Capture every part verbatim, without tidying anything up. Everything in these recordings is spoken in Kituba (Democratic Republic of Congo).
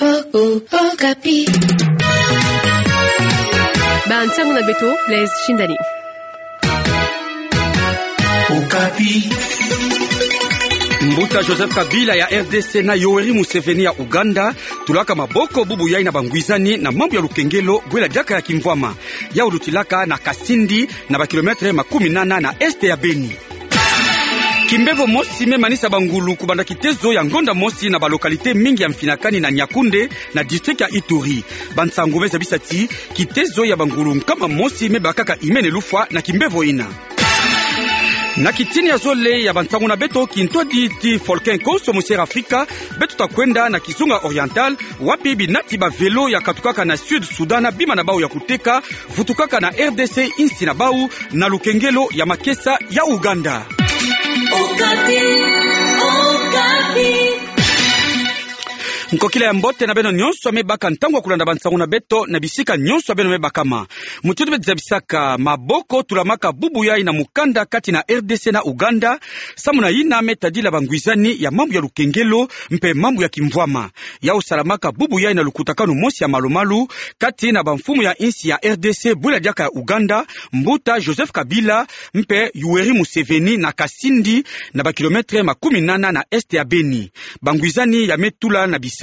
Okapi. Ba nsangu na beto, Blaise Shindani. Okapi. Mbuta Joseph Kabila ya R D C na Yoweri Museveni ya Uganda tulaka maboko bubu yai na bangwizani na mambu ya lukengelo bwela diaka ya kimvwama. Yau lutilaka na Kasindi, na ba kilomètre makumi nana na est ya Beni. Kimbevo mosi me manisa bangulu kubanda kitezo ya ngonda mosi na ba localité mingi ya Mfinakani na Niakoundé, na district ya Ituri. Bansangu me zabisa ti kitezo ya bangulu nkama mosi me bakaka imene lufwa na kimbevo ina. Na kitini ya zole ya bansangu na beto, kintwadi ti Volcan Konso mu Sierra Africa, beto ta kwenda na Kizunga Oriental, wapi binati ba vélo ya katukaka na Sud Soudan na bima na bau ya kuteka vutukaka na R D C, insi na bau na lukengelo ya makesa ya Uganda. Okapi, Okapi. Nkokila ya mbote na beno nyonso me baka ntangu ya kulanda bansangu na beto na bisika nyonso beno me bakama. Mutindu beto zabisaka, maboko tulamaka bubu yai na mukanda kati na R D C na Uganda, samu na yina me tadila bangwizani ya mambu ya lukengelo mpe mambu ya kimvwama. Yau salamaka bubu yai na lukutakanu mosi ya malu-malu kati na bamfumu ya insi ya R D C bwela diaka ya Uganda, mbuta Joseph Kabila mpe Yoweri Museveni na Kasindi, na ba kilomètre makumi nana na est ya Beni. Bangwizani ya me tula na bisalu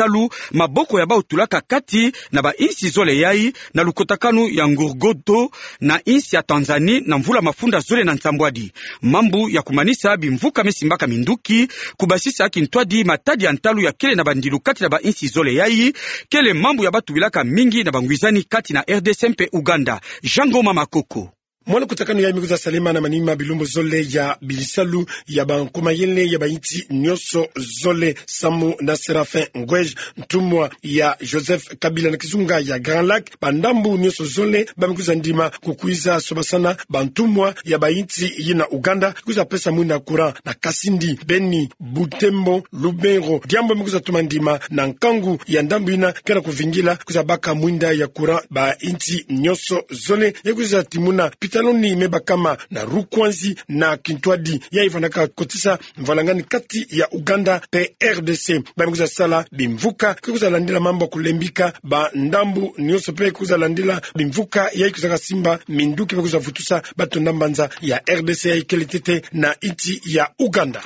maboko ya bau tulaka kati na ba insi zole yai na lukutakanu ya Ngurgoto na insi ya Tanzanie na mvula mafunda zole na nsambwadi. Mambu ya kumanisa bimvuka me simbaka minduki, kubasisa kintwadi matadi ya ntalu ya kele na bandilu kati na ba insi zole yai, kele mambu ya batubilaka mingi na bangwizani kati na R D C mpe Uganda. Jean Ngoma Makoko. Mwa lukutakanu yai me kwiza salama na manima bilumbu zole ya bisalu ya bankumayele ya ba insi nyonso zole, samu na Séraphin Ngoy, ntumwa ya Joseph Kabila na kizunga ya Grand Lac, bandambu nyonso zole ba me kwiza ndima kukwiza sobasana bantumwa ya ba insi yina Uganda, kwiza pesa mwinda courant na Kasindi, Beni, Butembo, Lubero, diambu me kwiza tuma ndima na nkangu ya ndambu yina ke na kuvingila kwiza baka mwinda ya courant ba insi nyonso zole, ya kwiza timuna pitaloni me bakama na Rukwanzi na kintwadi yai vandaka kotisa mvalangani kati ya Uganda mpe R D C. Ba me kwiza sala bimvuka, ke kwiza landila mambu ya kulembika bandambu nyonso mpe kwiza landila bimvuka yai kwizaka simba minduki mpe kwiza vutusa bato na mbanza ya R D C yai kele ntete na insi ya Uganda.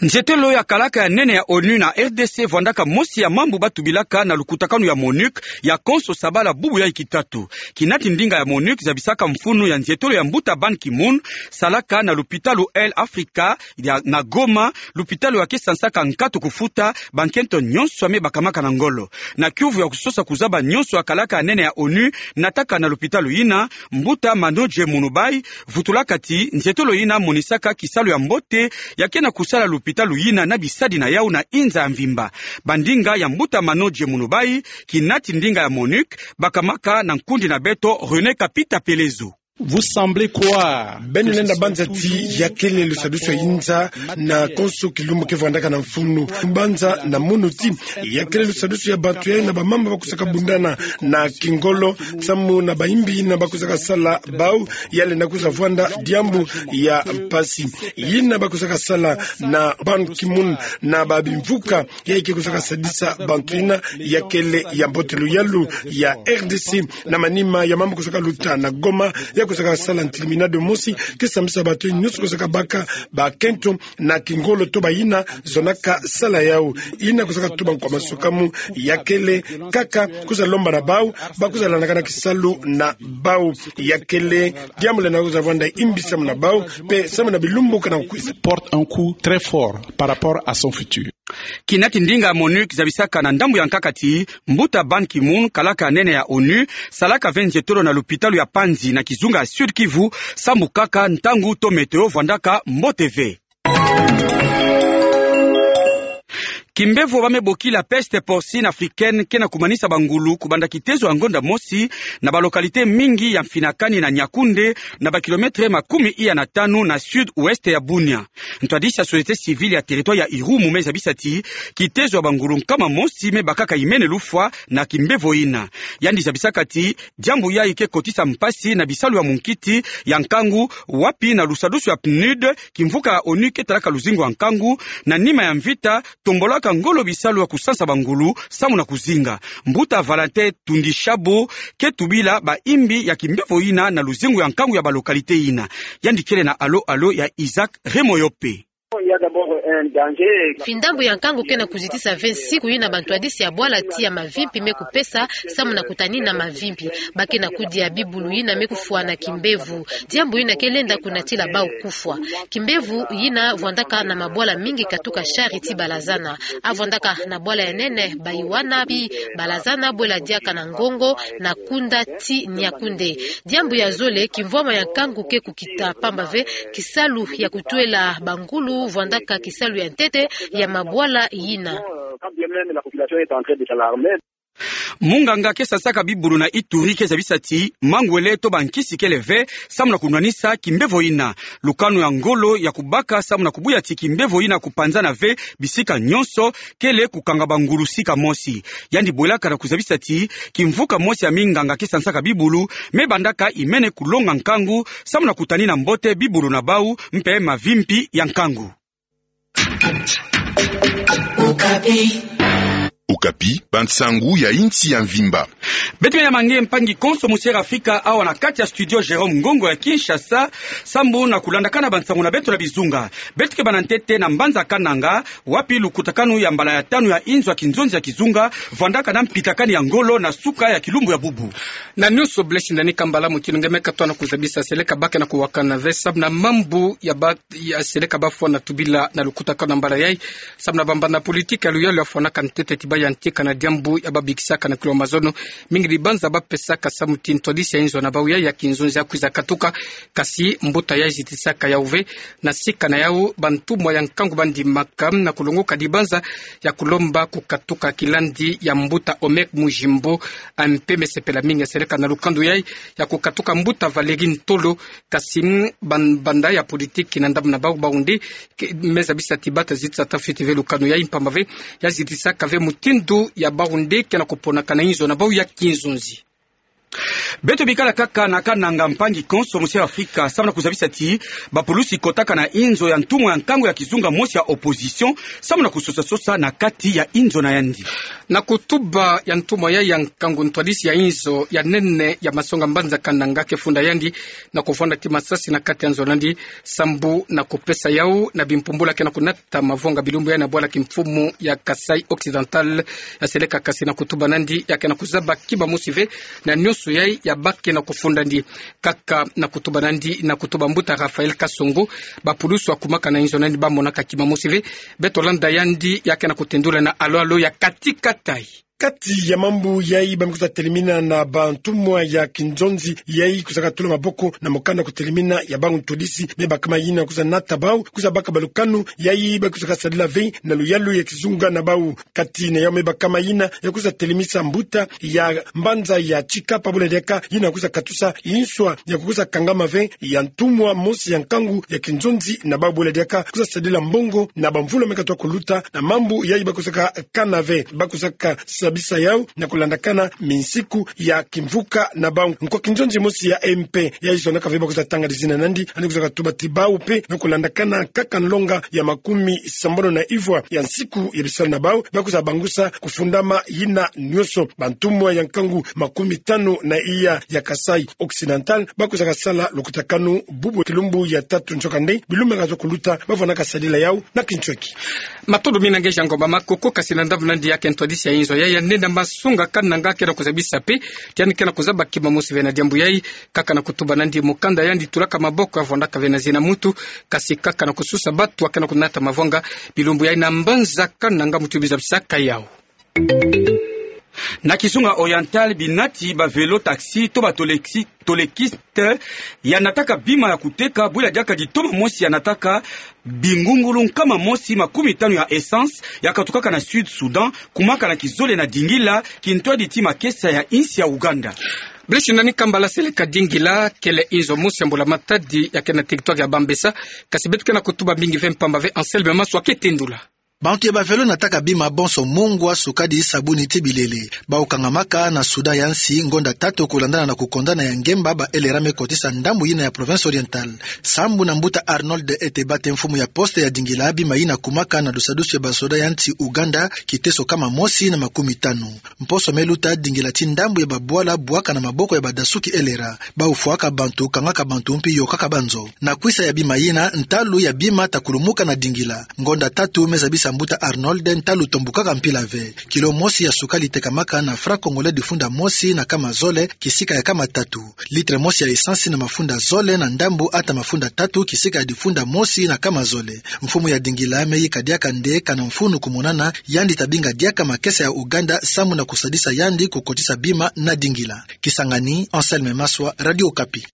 Nzietolo ya kalaka ya nene ya ONU na R D C vwandaka mosi ya mambu batubilaka na lukutakanu ya MONUC ya konso sabala bubu yai kitatu. Kinati ndinga ya MONUC zabisaka mfunu ya nzietolo ya mbuta Ban Ki-moon, salaka na lupitalu Air Africa ya, na Goma, lupitalu ya ke sansaka nkatu kufuta bankento nyonso ya me bakamaka na ngolo. Na kiuvu ya kusosa kuzaba nyonso ya kalaka ya nene ya ONU nataka na lupitalu yina, mbuta Manodje Mounoubaye vutulaka ti nzietolo yina monisaka kisalu ya mbote ya ke na kusala lupitalu yina na bisadi na yau na inza ya mvimba. Bandinga ya mbuta Manodje Mounoubaye, kinati ndinga ya MONUC, bakamaka na nkundi na beto René Kapita Pelezo. Vous semblez croire. Beno lenda banza ti ya kele lusadusu ya inza na konso kilumbu ke vandaka na mfunu. Banza na munu ti ya kele lusadusu ya bantu yai na bamama bakusaka bundana na kingolo, samu na bayimbi yina bakusaka sala bau, ya lenda kwiza vwanda diambu ya mpasi. Yina bakusaka sala na Ban Ki-moon na babimvuka yai ke kwiza kasadisa bantu yina ya kele ya mbote. Luyalu ya R D C na manima ya mambu kusaka luta na Goma, ya kusaka sala ntilimina de mosi ke sambisa bato nyonso kusaka baka bakento na kingolo to bayina zonaka sala yau. Yina kusaka tuba nkwa masukamu ya kele kaka kwiza lomba na bau, bakwiza landakana kisalu na bau. Ya kele diambu lenda kwiza vwanda imbi samu na bau mpe samu na bilumbu ke na kukwiza. Porte un coup très fort par rapport à son futur. Kinati ndinga ya MONUC zabisaka na ndambu ya nkaka ti mbuta Ban Ki-moon, kalaka ya nene ya ONU, salaka ve nzietolo na lupitalu ya Panzi na kizunga ya Sud-Kivu, sambu kaka ntangu to météo vwandaka mbote ve. Kimbevo ba me boki la peste porcine africaine ke na kumanisa bangulu kubanda kitezo ya ngonda mosi na ba localité mingi ya Mfinakani na Niakoundé, na ba kilomètre makumi iya na tanu na sud-ouest ya Bunia. Ntwadisi ya société civile ya territoire ya Irumu me zabisa ti kitezo ya bangulu nkama mosi me bakaka imene lufwa na kimbevo yina. Yandi zabisaka ti diambu yai ke kotisa mpasi na bisalu ya munkiti ya nkangu, wapi na lusadusu ya PNUD, kimvuka ya ONU ke talaka luzingu ya nkangu, na nima ya mvita, tombolaka kota ngolo bisalu ya kusansa bangulu samu na kuzinga. Mbuta Valentin Tundishabo ke tubila baimbi ya kimbevo yina na luzingu ya nkangu ya balocalité yina. Yandi kele na alo-alo ya Isaac Remoyope. Fi ndambu ya nkangu ke na kuzitisa ve nsiku yina bantwadisi ya bwala ti ya mavimpi me kupesa samu na kutanina mavimpi. Ba ke na kudia bibulu yina me kufwana kimbevo. Diambu yina ke lenda kunatila bau kufwa. Kimbevo yina vwandaka na mabwala mingi katuka Shari ti Balazana. A vwandaka na bwala ya nene Baiwana pi Balazana, bwela diaka na Ngongo, na Kunda ti Niakoundé. Diambu ya zole, kimvwama ya nkangu ke kukita pamba ve kisalu ya kutwela bangulu vwandaka kisalu ya ntete ya mabwala yina. Munganga ke sansaka bibulu na Ituri ke zabisa ti mangwele to bankisi kele ve samu na kunwanisa kimbevo yina. Lukanu ya ngolo ya kubaka samu na kubuya ti kimbevo yina kupanzana ve bisika nyonso kele kukanga bangulu sika mosi. Yandi bwelaka na kuzabisa ti kimvuka mosi ya minganga ke sansaka bibulu me bandaka imene kulonga nkangu samu na kutanina mbote bibulu na bau mpe mavimpi ya nkangu. Okapi, bansangu ya insi ya mvimba. Beto ya mangi mpangi konso musi ya Afrika, awa na kati ya studio Jérôme Ngongo ya Kinshasa, sambu na kulandakana bansangu na beto na bizunga. Beto ke banda ntete na mbanza Kananga, wapi lukutakanu ya mbala ya tanu ya inzo ya kinzonzi ya kizunga vwandaka na mpitakani ya ngolo na suka ya kilumbu ya bubu. Na nyonso Blaise Ndani Kambala, mutindu nge me katwa na kuzabisa, seleka ba ke na kuwakana ve samu na mambu ya ba ya seleka ba fwana tubila na lukutakanu ya mbala yai, samu na bambanda politiki ya luyalu ya fwanaka ntete ti ba yantika na diambu ya babikisaka na kilo mazono. Mingi dibanza ba pesaka samu ti ntwadisi ya inzo na bau yai ya kinzonzi ya kwiza katuka, kasi mbuta yai zitisaka yau ve. Na sika na yau, bantumwa ya nkangu ba ndimaka na kulongoka dibanza ya kulomba kukatuka kilandi ya mbuta Omer Mujimbo. A mpe me sepela mingi ya seleka na lukando yai ya kukatuka mbuta Valéry Ntolo, kasi, mm, ban-, banda ya politiki na ndambu na bau, bau nde ke-, me zabisa ti ba ta zitisa ta fiti ve lukanu yai mpamba ve ya zitisaka ve mutindu ya bau nde ke na kuponaka na inzo na bau ya kinzonzi. Beto bikala kaka na Kananga, mpangi konso musi ya Afrika, samu na kuzabisa ti bapulusi kotaka na inzo ya ntumwa ya nkangu ya kizunga mosi ya opposition, samu na kusosa-sosa na kati ya inzo na yandi. Na kutuba ya ntumwa yai ya nkangu, ntwadisi ya inzo ya nene ya masonga mbanza Kananga ke funda yandi na kuvwanda ti masasi na kati ya nzo na yandi, sambu na kupesa yau na bimpumbula ke na kunata mavonga bilumbu yai na bwala kimfumu ya Kasaï Occidental. Ya seleka kasi na kutuba na yandi, ya ke na kuzaba kima mosi ve na nyonso yai ya ba ke na kufunda yandi. Kaka na kutuba na yandi, na kutuba mbuta Raphaël Kasongo, bapulusi wakumaka na inzo na yandi ba monaka kima mosi ve. Beto landa yandi, ya ke na kutendula na alo-alo ya Kati Kataï. Kati ya mambu yai ba me kwiza telimina na bantumwa ya kinzonzi yai kwizaka tula maboko na mokanda kutelimina ya bau ntwadisi, me bakama yina kwiza nata bau, kwiza baka balukanu yai ba kwizaka sadila ve na luyalu ya kizunga na bau. Kati na yau me bakama yina, ya kwiza telimisa mbuta ya mbanza ya Tshikapa, bwela diaka yina kwiza katusa inswa ya kukwiza kangama ve ya ntumwa mosi ya nkangu ya kinzonzi na bau, bwela diaka kwiza sadila mbongo na bamvula me katwa kuluta, na mambu yai ba kwizaka kana ve, ba kwizaka sabisa yau na kulandakana minsiku ya kimvuka na bau. Nkwa kinzonzi mosi ya M P yai zonzaka ve ba kwiza tanga dizina na yandi, yandi kwizaka tuba ti bau mpe, na kulandakana kaka nlonga ya makumi sambanu na ivwa ya nsiku ya bisalu na bau, ba kwiza bangusa kufundama yina nyonso. Bantumwa ya nkangu makumi tanu na iya ya Kasaï Occidental ba kwizaka sala lukutakanu bubu kilumbu ya tatu nsoka nde, bilumbu me katwa kuluta, ba vwanaka sadila yau na kinsweki. Matondo mina nge Jean Ngomba Makoko. Kasi na ndambu na yandi, ya ke ntwadisi ya inzo yai ya nene ya masonga Kananga ke na kuzabisa mpe ti yandi ke na kuzaba kima mosi ve na diambu yai. Kaka na kutuba na yandi, mokanda yandi tulaka maboko ya vwandaka ve na zina muntu, kasi kaka na kusosa batu wa ke na kunata mavonga bilumbu yai na mbanza Kananga, mutindu bi zabisaka yau. Na kizunga Oriental, binati ba vélo taxi to ba tolexi-, tolekiste ya nataka bima ya kuteka, bwela diaka ditoma mosi ya nataka bingungulu nkama mosi makumi tanu ya essence ya katukaka na Sud Soudan, kumaka na kizole na Dingila, kintwadi ti makesa ya insi ya Ouganda. Blaise Ndani Kambala, seleka Dingila kele inzo mosi ya mbula matadi ya ke na territoire ya Bambessa, kasi beto ke na kutuba mingi ve mpamba ve Anselme Maswa ke tendula. Bantu ya bavelo nataka bima bonso mungwa, sukadi, sabuni ti bilele. Bau kangamaka na Soudan ya nsi ngonda tatu kulandana na kukondana ya ngemba ba L R A me kotisa ndambu yina ya Province Orientale. Sambu na mbuta Arnold Etebate, mfumu ya poste ya dingila, bima yina kumaka na dusadusu ya basoda ya nsi Ouganda, kiteso kama mosi na makumi tanu. Mposo me luta, dingila ti ndambu ya babwala bwaka na maboko ya badasuki L R A. Bau fwaka bantu, kangaka bantu mpi yokaka banzo. Na kwisa ya bima yina, ntalu ya bima ta kulumuka na dingila. Ngonda tatu me zabisa mbuta Arnold, ntalu tombukaka mpila ve. Kilo mosi ya sukali tekamaka na franc congolais difunda mosi na kama zole, kisika ya kama tatu. Litre mosi ya essence na mafunda zole na ndambu ata mafunda tatu, kisika ya difunda mosi na kama zole. Mfumu ya dingila me yika diaka nde kana mfunu kumonana, yandi ta binga diaka makesa ya Ouganda, samu na kusadisa yandi kukotisa bima na dingila. Kisangani, Anselme Maswa, Radio Okapi.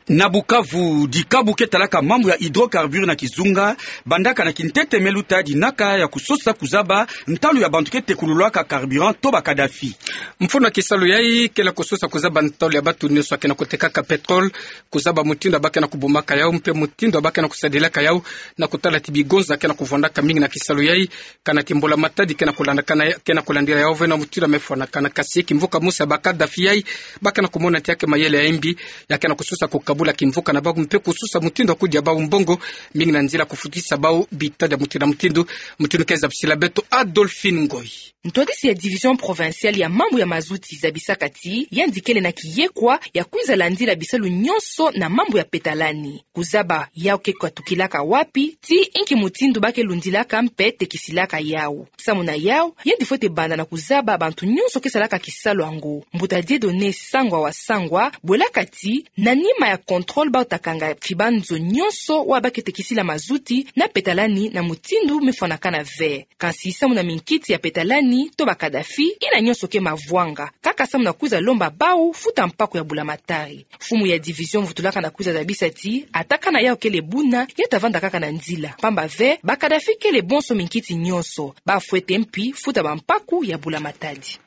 Na Bukavu, dikabu ke talaka mambu ya hydrocarbures na kizunga, bandaka na kintete me luta dinaka ya kusosa kuzaba ntalu ya bantu ke tekululaka carburant to ba Kadhafi. Mfunu ya kisalu yai ke na kusosa kuzaba ntalu ya bantu nyonso ya ke na kutekaka pétrole, kuzaba mutindu ya ba ke na kubumaka yau, mpe mutindu ya ba ke na kusadilaka yau, na kutala ti bigonza ke na kuvwandaka mingi na kisalu yai, kana ti mbula-matadi ke na kulandakana, ke na kulandila yau ve na mutindu ya me fwanakana. Kasi kimvuka mosi ya ba Kadhafi yai, ba ke na kumona ti ya ke mayele ya mbi, ya ke na kusosa kukabula kimvuka na bau, mpe kusosa mutindu ya kudia bau mbongo mingi na nzila kufutisa bau bitadi ya mutindu na mutindu. Mutindu ke zabisila beto Adolphine Ngoy. Ntwadisi ya Division Provinciale ya mambu ya mazuti zabisaka ti yandi kele na kiyekwa ya kwiza landila bisalu nyonso na mambu ya petalani, kuzaba yau ke katukilaka wapi, ti inki mutindu ba ke lundilaka mpe tekisilaka yau. Samu na yau, yandi fwete banda na kuzaba bantu nyonso ke salaka kisalu yango. Mbuta Dieudonné Sangwa wa Sangwa bwelaka ti, na nima ya contrôle bau ta kanga fibanzo nyonso wa ba ke tekisila mazuti na petalani na mutindu me fwanakana ve. Kansi samu na minkiti ya petalani to ba Kadhafi, yina nyonso ke mavwanga, kaka samu na kwiza lomba bau futa mpaku ya bula-matadi. Mfumu ya division vutulaka na kwiza zabisa ti, ata kana yau kele buna, ya ta vanda kaka na nzila. Pamba ve, ba Kadhafi kele bonso minkiti nyonso. Ba fwete mpi futa bampaku ya bula-matadi.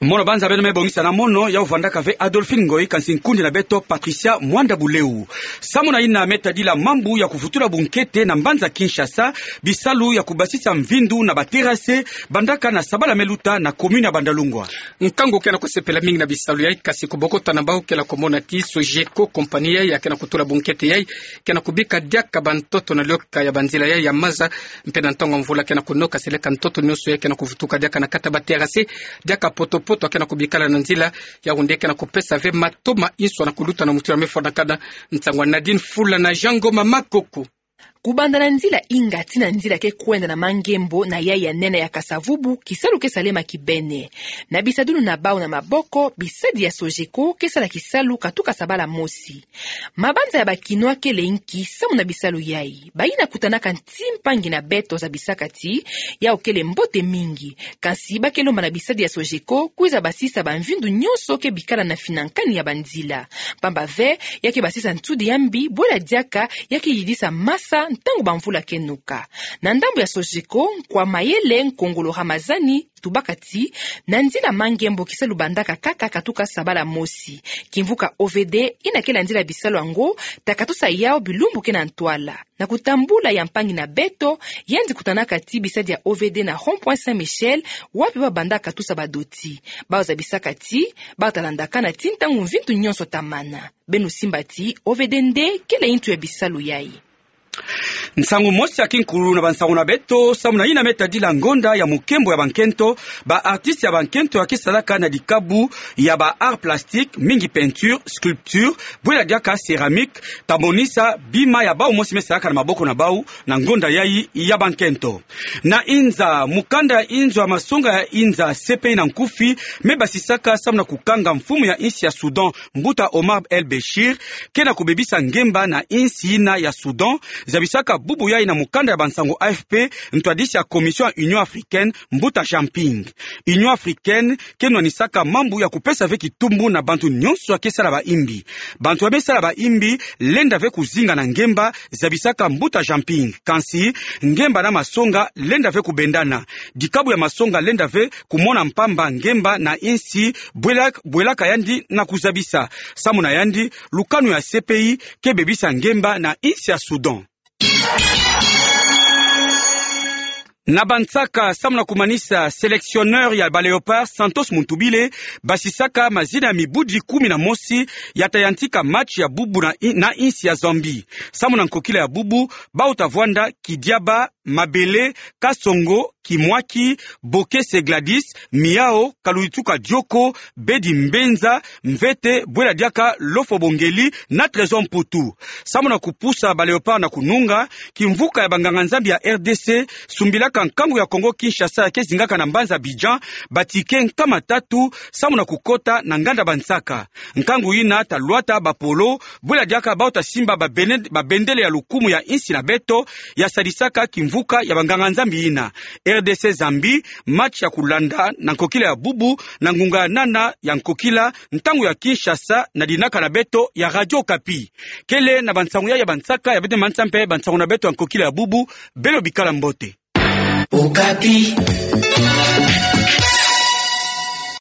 Mono banza beno me bongisa na mono, yau vandaka ve Adolphine Ngoy, kansi nkundi na beto Patricia Mwanda Buleu. Samu na yina me tadila mambu ya kuvutula bunkete na mbanza Kinshasa, bisalu ya kubasisa mvindu na ba terrasse bandaka na sabala me luta na commune ya Bandalungwa. Nkangu ke na kusepela mingi na bisalu yai, kasi kubokota na bau ke na kumona ti Sogeco, compagnie yai ya ke na kutula bunkete yai, ke na kubika diaka bantoto na lioka ya banzila yai ya maza, mpe na ntangu ya mvula ke na kunoka seleka ntoto nyonso yai ke na kuvutuka diaka na kati ya ba terrasse, diaka poto-poto ya ke na kubikala na nzila. Yau nde ke na kupesa ve matoma inso na kuluta na mutindu ya me fwanakana. Nsangu ya Nadine Fula na Jean Ngoma Makoko. Kubanda na nzila Inga tii na nzila ke kwenda na Mangembo na yai ya nene ya Kasa-Vubu, kisalu ke salema kibene. Na bisadulu na bau na maboko, bisadi ya Sogeco ke sala kisalu katuka sabala mosi. Mabanza ya ba Kinois kele nki samu na bisalu yai? Bayina kutanaka nti mpangi na beto zabisaka ti, yau kele mbote mingi. Kansi ba ke lomba na bisadi ya Sogeco kwiza basisa bamvindu nyonso ke bikala na finankani ya banzila. Pamba ve, ya ke basisa nsudi ya mbi, bwela diaka ya ke yidisa masa ntangu bamvula ke noka. Na ndambu ya Sogeco, nkwa mayele Nkongolo Ramazani tubaka ti, na nzila Mangembo kisalu bandaka kaka katuka sabala mosi. Kimvuka O V D, yina ke landila bisalu yango, ta katusa yau bilumbu ke na ntwala. Na kutambula ya mpangi na beto, yandi kutanaka ti bisadi ya O V D na rond-point Saint-Michel, wapi ba bandaka katusa badoti. Bau zabisaka ti, bau ta landakana ti ntangu mvindu nyonso ta mana. Beno simba ti, O V D nde kele yintu ya bisalu yai. Nsangu mosi ya kinkulu na bansangu na beto, samu na yina me tadila ngonda ya mukembo ya bankento, ba artistes ya bankento ya ke salaka na dikabu ya ba arts plastiques, mingi peinture, sculpture, bwela diaka céramique, ta monisa bima ya bau mosi me salaka na maboko na bau, na ngonda yai ya bankento. Na inza, mukanda ya inzo ya masonga ya inza C P I na nkufi, me basisaka samu na kukanga mfumu ya insi ya Soudan, mbuta Omar El-Béchir, ke na kubebisa ngemba na insi yina ya Soudan, Zabisaka bubu yai na mukanda ya bansango A F P, ntwadisi ya Commission ya Union Africaine, Mbuta Jean Ping. Union Africaine ke nwanisaka mambu ya kupesa ve kitumbu na bantu nyonso ya ke sala baimbi. Bantu ya me sala baimbi lenda ve kuzinga na ngemba, zabisaka Mbuta Jean Ping. Kansi, ngemba na masonga lenda ve kubendana. Dikabu ya masonga lenda ve kumona mpamba ngemba na insi bwela-, bwelaka yandi na kuzabisa. Samu na yandi, lukanu ya C P I ke bebisa ngemba na insi ya Soudan. Na bansaka, samu na kumanisa, sélectionneur ya ba Léopards, Santos Muntubile, basisaka mazina ya mibudi kumi na mosi ya ta yantika match ya bubu na i-, na insi ya Zambie. Samu na nkokila ya bubu, bau ta vwanda Kidiaba, Mabele, Kasongo, Kimwaki, Bokese Gladys, Miao, Kaluituka Dioko, Bedi Mbenza, Mvete, bwela diaka Lofo Bongeli, na Trésor Mputu. Samu na kupusa ba Léopards na kununga, kimvuka ya banganga-Nzambi ya R D C sumbilaka nkangu ya Congo Kinshasa ya ke zingaka na mbanza Abidjan ba ticket nkama tatu, samu na kukota na nganda bansaka. Nkangu yina ta lwata bapolo, bwela diaka bau ta simba ba bene-, ba bendele ya lukumu ya insi na beto, ya sadisaka kimvuka ya banganga-Nzambi yina. R D C Zambie, match ya kulanda na nkokila ya bubu, na ngunga ya nana ya nkokila, ntangu ya Kinshasa, na dinaka na beto ya Radio Okapi. Kele na bansangu ya, ya bansaka, ya bete manisa mpe bansangu na beto ya nkokila ya bubu, beno bikala mbote. Okapi.